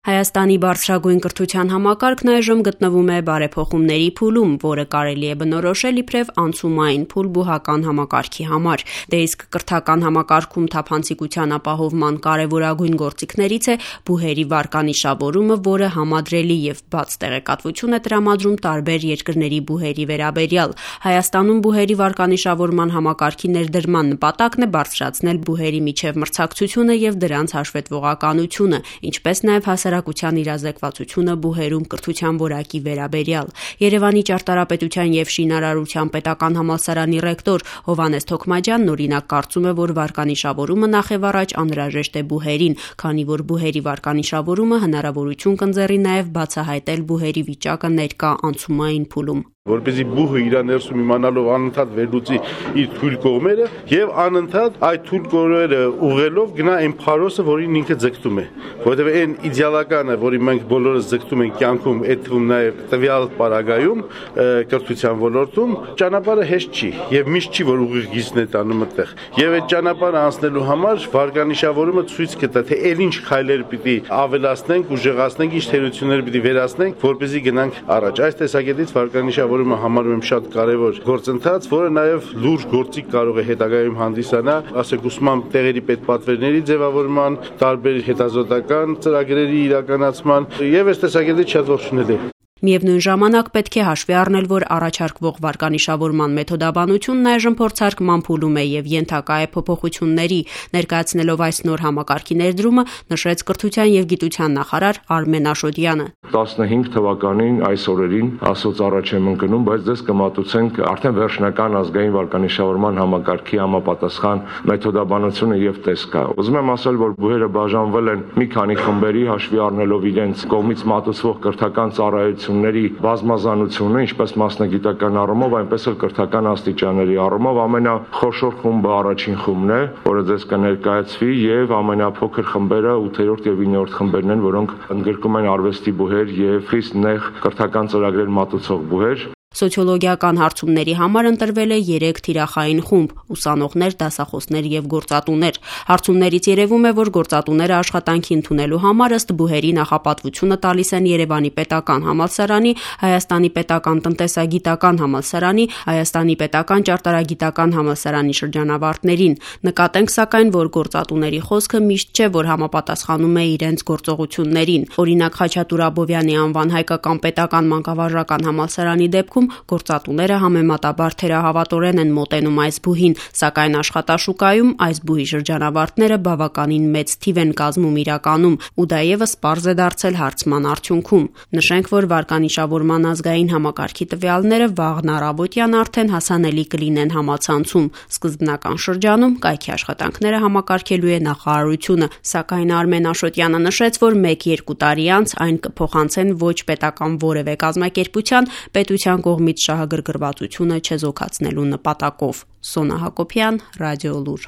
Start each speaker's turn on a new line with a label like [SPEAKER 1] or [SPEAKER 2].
[SPEAKER 1] Հայաստանի բարձրագույն կրթության համակարգն այժմ գտնվում է բարեփոխումների փուլում, որը կարելի է բնորոշել իբրև անցումային փուլ բուհական համակարգի համար։ Դե իսկ կրթական համակարգում թափանցիկության ապահովման կարևորագույն գործիքներից է բուհերի վարկանիշավորումը, որը համադրելի եւ բաց տեղեկատվություն է տրամադրում տարբեր երկրների բուհերի վերաբերյալ։ Հայաստանում բուհերի վարկանիշավորման համակարգի ներդրման նպատակն է բարձրացնել բուհերի միջև մրցակցությունը եւ դրանց հաշվետվողականությունը, ինչպես նաեւ հասարակության իրազեկվածությունը բուհերում կրթության որակի վերաբերյալ։ Երևանի ճարտարապետության եւ շինարարության պետական համալսարանի ռեկտոր Հովհաննես Թոքմաջյանն օրինակ կարծում է, որ վարկանիշավորումը նախևառաջ անհրաժեշտ է բուհերին, քանի որ բուհերի վարկանիշավորումը հնարավորություն կընձեռի նաեւ բացահայտել բուհերի վիճակը ներկա անցումային փուլում։
[SPEAKER 2] Որպեսզի բուհը իր ներսում իմանալով անընդհատ վերլուծի իր թույլ կողմերը եւ անընդհատ այդ թույլ կողմերը ուղղելով գնա այն փարոսը, որին ինքը ձգտում է, որովհետեւ այն իդեալականը, որի մենք բոլորս ձգտում ենք կյանքում, այդ թվում նաեւ տվյալ պարագայում կրթության ոլորտում ճանապարհը հեշտ չի եւ միշտ չի, որ ուղիղ գիծն է տանում այդտեղ։ Եվ այդ ճանապարհը անցնելու համար վարկանիշավորումը ցույց կտա, թե ել ինչ քայլեր պիտի ավելացնենք, ուժեղացնենք, ինչ թերություններ պիտի վերացնենք, որպեսզի գնանք առաջ։ Այս տեսակետից վարկանիշավորումը համարում եմ շատ կարևոր գործընթաց, որը նաև լուրջ գործիք կարող է հետագայում հանդիսանալ, ասենք ուսման տեղերի պետպատվերների ձևավորման, տարբեր հետազոտական ծրագրերի իրականացման եւ այս տեսակետից շատ ողջունել է։
[SPEAKER 1] Միևնույն ժամանակ պետք է հաշվի առնել, որ առաջարկվող վարկանիշավորման մեթոդաբանությունն այժմ փորձարկման փուլում է եւ ենթակա է փոփոխությունների։ Ներկայացնելով այս նոր համակարգի ներդրումը, նշեց կրթության եւ գիտության նախարար Արմեն Աշոտյանը։
[SPEAKER 3] 15 թվականին այս օրերին ասոց առաջ եմ ընկնում, բայց դες կմատուցենք արդեն վերջնական ազգային վարկանիշավորման համակարգի համապատասխան մեթոդաբանությունը եւ տեսքա։ Ուզում եմ ասել, որ բուհերը բաժանվել են մի քանի խմբերի, հաշվի առնելով իրենց կողմից մատուցվող կրթական ծառայությունների բազմազանությունը, ինչպես մասնագիտական առումով, այնպես էլ կրթական աստիճանների առումով ամենախոշոր խումբը առաջին խումբն է, որը դες կներկայացվի եւ ամենափոքր խմբերը 8-րդ եւ 9-րդ խմբերն են, որոնք ընդգրկում են արվեստի բուհեր եւ խիստ նեղ կրթական ծրագրեր մատուցող բուհեր։
[SPEAKER 1] Սոցիոլոգիական հարցումների համար ընտրվել է 3 թիրախային խումբ՝ ուսանողներ, դասախոսներ եւ գործատուներ։ Հարցումներից երևում է, որ գործատուները աշխատանքի ընդունելու համար ըստ բուհերի նախապատվությունը տալիս են Երևանի պետական համալսարանի, Հայաստանի պետական տնտեսագիտական համալսարանի, Հայաստանի պետական ճարտարագիտական համալսարանի շրջանավարտներին։ Նկատենք սակայն, որ գործատուների խոսքը միշտ չէ, որ համապատասխանում է իրենց գործողություններին։ Օրինակ Խաչատուր Աբովյանի անվան հայկական պետական մանկավարժական համալսարանի դեպքում գործատուները համեմատաբար թերահավատորեն են մոտենում այս բուհին, սակայն աշխատաշուկայում այս բուհի շրջանավարտները բավականին մեծ թիվ են կազմում իրականում, ու դա եւս պարզ է դարձել հարցման արդյունքում։ Նշենք, որ վարկանիշավորման ազգային համակարգի տվյալները վաղն առավոտյան արդեն հասանելի կլինեն համացանցում։ Սկզբնական շրջանում կայքի աշխատանքները համակարգելու է նախարարությունը, սակայն Արմեն Աշոտյանը նշեց, որ 1-2 տարի անց այն կփոխանցեն ոչ պետական որևէ կազմակերպության պետության կողմից շահագրգռվածությունը չեզոքացնելու նպատակով։ Սոնա Հակոբյան, Ռադիոլուր։